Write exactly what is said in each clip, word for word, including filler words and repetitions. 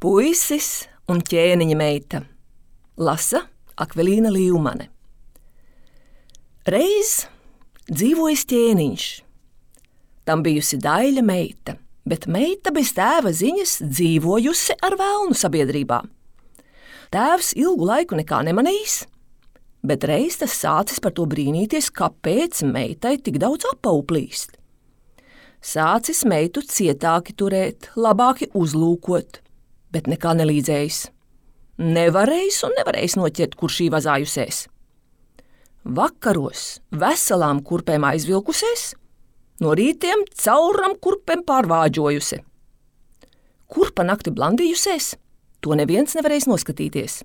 Puisis un ķēniņa meita. Lasa Akvelīna Līvmane. Reiz dzīvojis ķēniņš. Tam bijusi daļa meita, bet meita bez tēva ziņas dzīvojusi ar velnu sabiedrībā. Tēvs ilgu laiku nekā nemanījis, bet reiz tas sācis par to brīnīties, kāpēc meitai tik daudz apauplīst. Sācis meitu cietāki turēt, labāki uzlūkot, bet nekā nelīdzējis. Nevarējis un nevarējis noķert, kur šī vazājusies. Vakaros veselām kurpēm aizvilkusies, no rītiem cauram kurpēm pārvāģojusi. Kurpa nakti blandījusies, to neviens nevarēs noskatīties.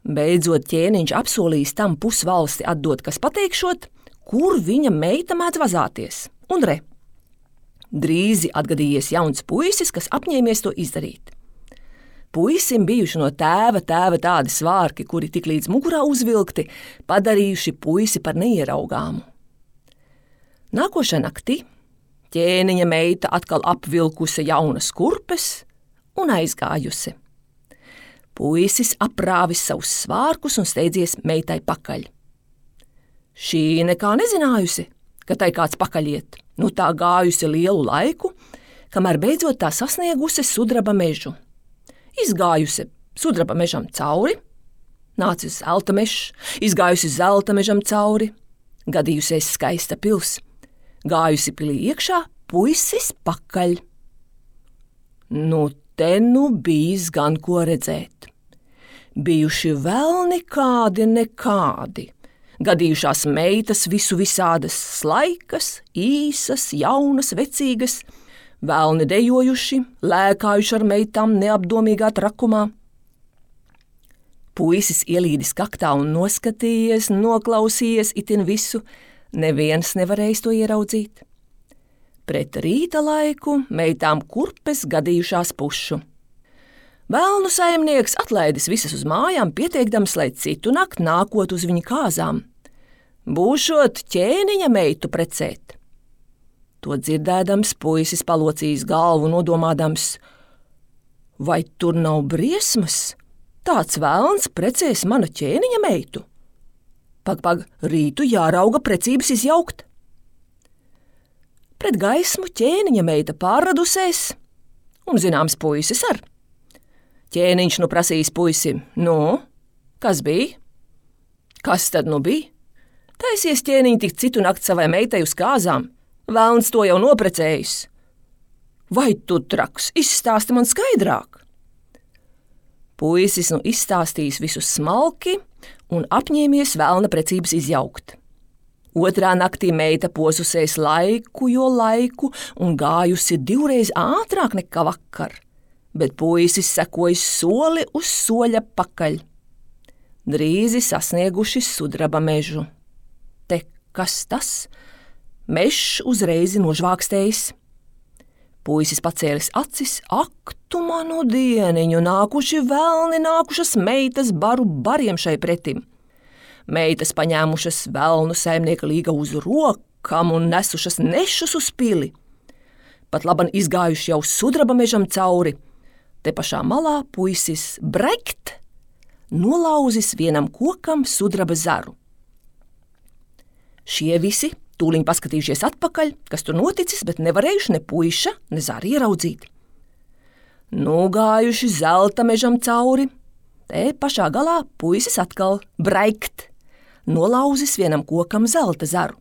Beidzot ķēniņš apsolījis tam pusvalsti atdot, kas pateikšot, kur viņa meita mēdz vazāties. Un re, drīzi atgadījies jauns puisis, kas apņēmies to izdarīt. Puisim bijuši no tēva tēva tādi svārki, kuri tik līdz mugurā uzvilkti, padarījuši puisi par neieraugāmu. Nākošā naktī ķēniņa meita atkal apvilkusi jaunas kurpes un aizgājusi. Puisis aprāvis savus svārkus un steidzies meitai pakaļ. Šī nekā nezinājusi, ka tai kāds pakaļiet, nu tā gājusi lielu laiku, kamēr beidzot tā sasniegusi sudraba mežu. Izgājusi sudraba mežam cauri, nācis zelta mežs, izgājusi zelta mežam cauri, gadījusies skaista pils, gājusi pilī iekšā, puisis pakaļ. Nu, te nu bijis gan ko redzēt. Bijuši vēl nekādi nekādi, gadījušās meitas visu visādas slaikas, īsas, jaunas, vecīgas, velni dejojuši, lēkājuši ar meitām neapdomīgā trakumā. Puisis ielīdis kaktā un noskatījies, noklausījies itin visu, neviens nevarējis to ieraudzīt. Pret rīta laiku meitām kurpes gadījušās pušu. Velnu saimnieks atlaidis visas uz mājām, pieteikdams, lai citu nakt nākot uz viņa kāzām. Būšot ķēniņa meitu precēt. To dzirdēdams, puisis palocījis galvu, nodomādams, vai tur nav briesmas? Tāds velns precēs mana ķēniņa meitu. Pag, pag, rītu jārauga precības izjaukt. Pret gaismu ķēniņa meita pārradusies, un zināms puisis ar. Ķēniņš nu prasījis puisi, nu, kas bija? Kas tad nu bija? Taisies ķēniņi tik citu nakti savai meitai uz kāzām. Velns to jau noprecējis. Vai tu traks, izstāsti man skaidrāk? Puisis nu izstāstījis visu smalki un apņēmies velna precības izjaukt. Otrā naktī meita posusies laiku, jo laiku un gājusi divreiz ātrāk nekā vakar, bet puisis sekojis soli uz soļa pakaļ. Drīzi sasnieguši sudraba mežu. Te kas tas? Mežs uzreiz nožvākstējis. Puisis pacēlis acis, ak, tu manu dieniņu, nākuši velni, nākušas meitas baru bariem šai pretim. Meitas paņēmušas velnu saimnieka līga uz rokam un nesušas nešus uz pili. Pat laban izgājuši jau sudraba mežam cauri. Te pašā malā puisis brekt, nolauzis vienam kokam sudraba zaru. Šie visi tūliņ paskatījušies atpakaļ, kas tur noticis, bet nevarējuši ne puiša, ne zāri ieraudzīt. Nogājuši zelta mežam cauri, te pašā galā puisis atkal braikt, nolauzis vienam kokam zelta zaru.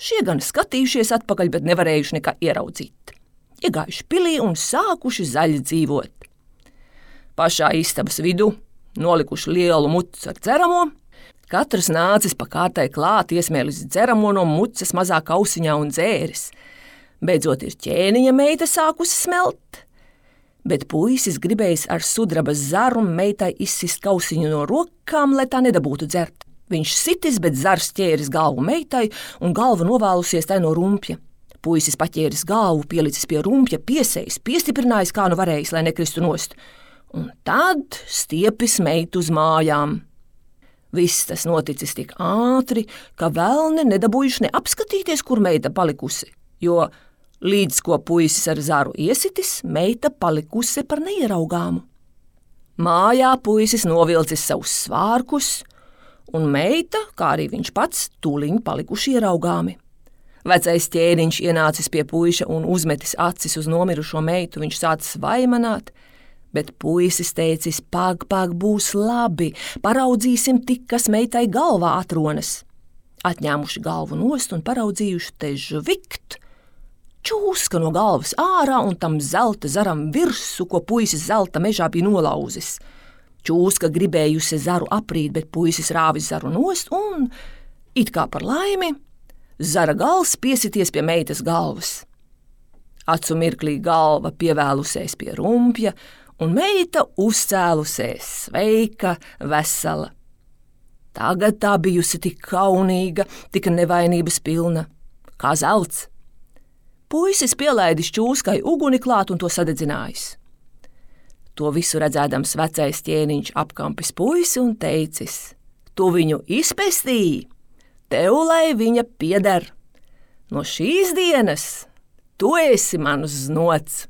Šie gan skatījušies atpakaļ, bet nevarējuši nekā ieraudzīt. Iegājuši pilī un sākuši zaļi dzīvot. Pašā istabas vidū nolikuši lielu mucu ar dzeramo, katrs nācis pa kārtai klāt, iesmēlis dzeramo no mucas mazā kausiņā un dzēris. Beidzot ir ķēniņa meita sākusi smelt, bet puisis gribējis ar sudrabas zaru meitai izsist kausiņu no rokām, lai tā nedabūtu dzert. Viņš sitis, bet zars ķēris galvu meitai un galva novēlusies tai no rumpja. Puisis paķēris galvu, pielicis pie rumpja, piesējis, piestiprinājis, kā nu varējis, lai nekristu nost. Un tad stiepis meitu uz mājām. Viss tas noticis tik ātri, ka velni nedabūjuši neapskatīties, kur meita palikusi, jo Līdz ko puisis ar zaru iesitis, meita palikusi par neieraugāmu. Mājā puisis novilcis savus svārkus, un meita, kā arī viņš pats, tūliņ palikuši ieraugāmi. Vecais ķēniņš ienācis pie puiša un uzmetis acis uz nomirušo meitu, viņš sācis vaimanāt, bet puisis teicis, pag, pag, būs labi, paraudzīsim tik, kas meitai galvā atronas. Atņēmuši galvu nost un paraudzījuši te žvikt, čūska no galvas ārā un tam zelta zaram virsu, ko puisis zelta mežā bija nolauzis. Čūska gribējusi zaru aprīt, bet puisis rāvis zaru nost un, it kā par laimi, zara gals piesities pie meitas galvas. Acu mirklī galva pievēlusies pie rumpja, un meita uzcēlusies sveika, vesela. Tagad tā bijusi tik kaunīga, tik nevainības pilna, kā zelts. Puisis pielaidis čūskai uguni klāt un to sadedzinājis. To visu redzēdams vecais ķēniņš apkampis puisi un teicis, tu viņu izpestīji, tev lai viņa pieder. No šīs dienas tu esi mans znots.